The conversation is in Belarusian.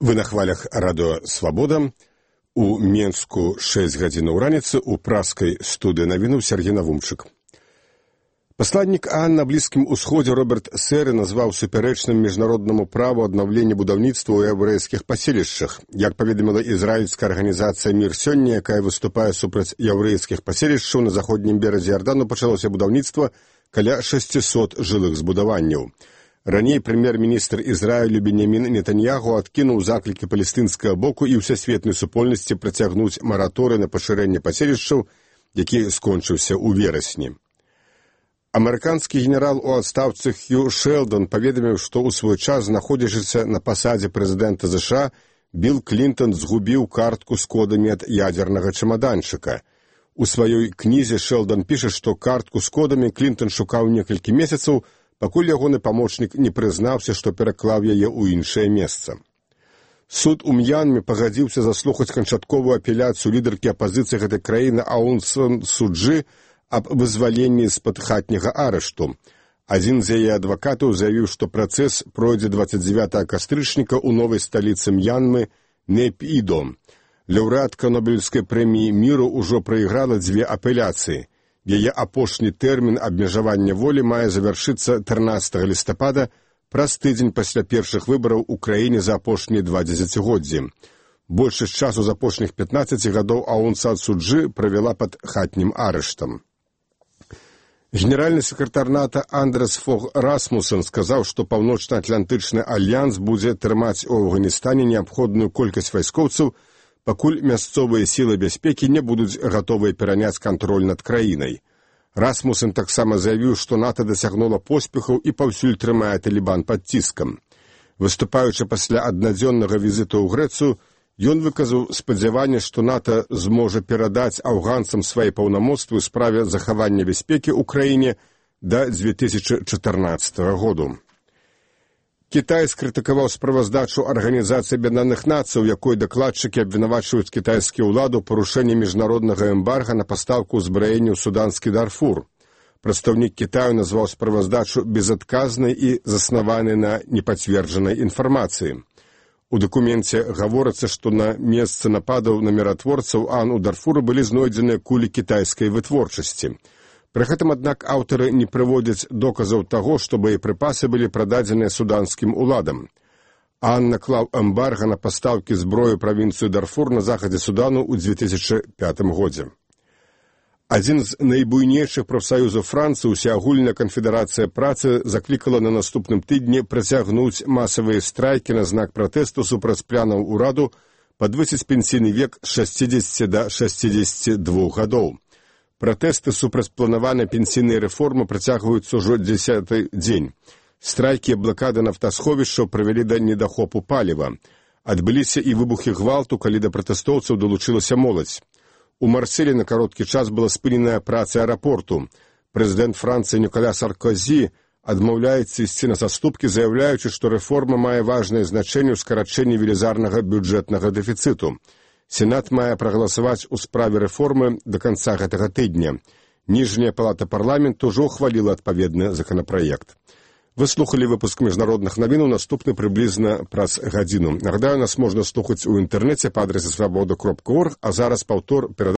Вы на хвалях радио «Свобода». У Менску 6 гадзінаў раніцы у праскай студыі навінаў Сергей Навумчык. Пасланнік ААН на Блізкім Усходзе Роберт Сэры назваў супярэчным міжнароднаму праву аднаўлення будаўніцтва ў яўрэйскіх паселішчах. Як паведаміла ізраільская арганізацыя «Мір сёння», якая выступае супраць яўрэйскіх паселішчаў, на заходнім беразе Ярдану пачалося будаўніцтва каля 600 жылых збудаванняў. Раней прэм'ер-міністр Ізраілю Беньямін Нетаньягу адкінуў заклікі палестынскага боку і ўсесветнай супольнасці працягнуць мараторый на пашырэнне паселішчаў, які скончыўся ў верасні. Амерыканскі генерал у адстаўцы Хью Шэлдон паведаміў, што ў свой час, знаходзячыся на пасадзе прэзідэнта США, Білл Клінтон згубіў картку з кодамі ад ядзернага чамаданчыка. У сваёй кнізе Шэлдон піша, што картку з кодамі Клінтон шукаў некалькі месяцаў, пакуль ягоны памочнік не прызнаўся, што пераклаў яе ў іншае месца. Суд у М'янме пагадзіўся заслухаць канчатковую апеляцыю лідаркі апазіцыі гэтай краіны Аун Сан Су Чжы аб вызваленні з-пад хатняга арышту. Адзін з яе адвакатаў заявіў, што працэс пройдзе 29 кастрычніка ў новай сталіцы М'янмы Нейпідо. Лаўрэатка Нобелевскай прэміі міру ўжо прайграла 2 апеляцыі. Яе апошні тэрмін абмежавання волі мае завяршыцца 13 лістапада, праз тыдзень пасля першых выбараў у краіне за апошнія 2 дзесяцігоддзі. Большасць часу з апошніх 15 гадоў Аун Сан Су Чжы правяла пад хатнім арыштам. Генеральны сакратар НАТО Андрэс Фог Расмуссен сказаў, што Паўночна-Атлантычны альянс будзе трымаць у Афганістане неабходную колькасць вайскоўцаў, пакуль мясцовыя сілы бяспекі не будуць гатовыя пераняць кантроль над краінай. Расмуссен таксама заявіў, што НАТО дасягнула поспехаў і паўсюль трымае Талібан пад ціскам. Выступаючы пасля аднадзённага візіту ў Грэцыю, ён выказаў спадзяванне, што НАТО зможа перадаць афганцам свае паўнамоцтвы ў справе захавання бяспекі ў краіне да 2014 году. Кітай скрытыкаваў справаздачу Арганізацыі Аб'яднаных Нацый, у якой дакладчыкі абвінавачваюць кітайскую ўладу ў парушэнні міжнароднага эмбарга на пастаўку ўзбраення ў суданскі Дарфур. Прадстаўнік Кітаю назваў справаздачу безадказнай і заснаванай на непацверджанай інфармацыі. У дакуменце гаворыцца, што на месцы нападаў на міратворцаў ААН у Дарфуры былі знойдзеныя кулі кітайскай вытворчасці. Пры гэтым, аднак, аўтары не прыводзяць доказаў таго, што боепрыпасы былі прададзеныя суданскім уладам. ААН наклаў эмбарга на пастаўкі зброі правінцыю Дарфур на захадзе Судану ў 2005 годзе. Адзін з найбуйнейшых прафсаюзаў Францыі, Усеагульная канфедэрацыя працы, заклікала на наступным тыдні працягнуць масавыя страйкі на знак пратэсту супраць планаў ураду падвысіць пенсійны век з 60 да 62 гадоў. Пратэсты супраць планаванай пенсійнай рэформы працягваюцца ўжо 10-й дзень. Страйкі і блакады нафтасховішчаў прывялі да недахопу паліва. Адбыліся і выбухі гвалту, калі да пратэстоўцаў далучылася моладзь. У Марселі на кароткі час была спыненая праца аэрапорту. Прэзідэнт Францыі Ніколя Саркозі адмаўляецца ісці на саступкі, заяўляючы, што рэформа мае важнае значэнне ў скарачэнні велізарнага бюджэтнага дэфіцыту. Сенат мае прагаласаваць у справе рэформы да канца гэтага тыдня. Ніжняя палата парламенту ўжо ухваліла адпаведны законапраект. Вы слухалі выпуск міжнародных навінаў, наступны прыблізна праз гадзіну. Нагадаю, нас можна слухаць у інтэрнэце па адрасе свабода.орг, а зараз паўтор перадачы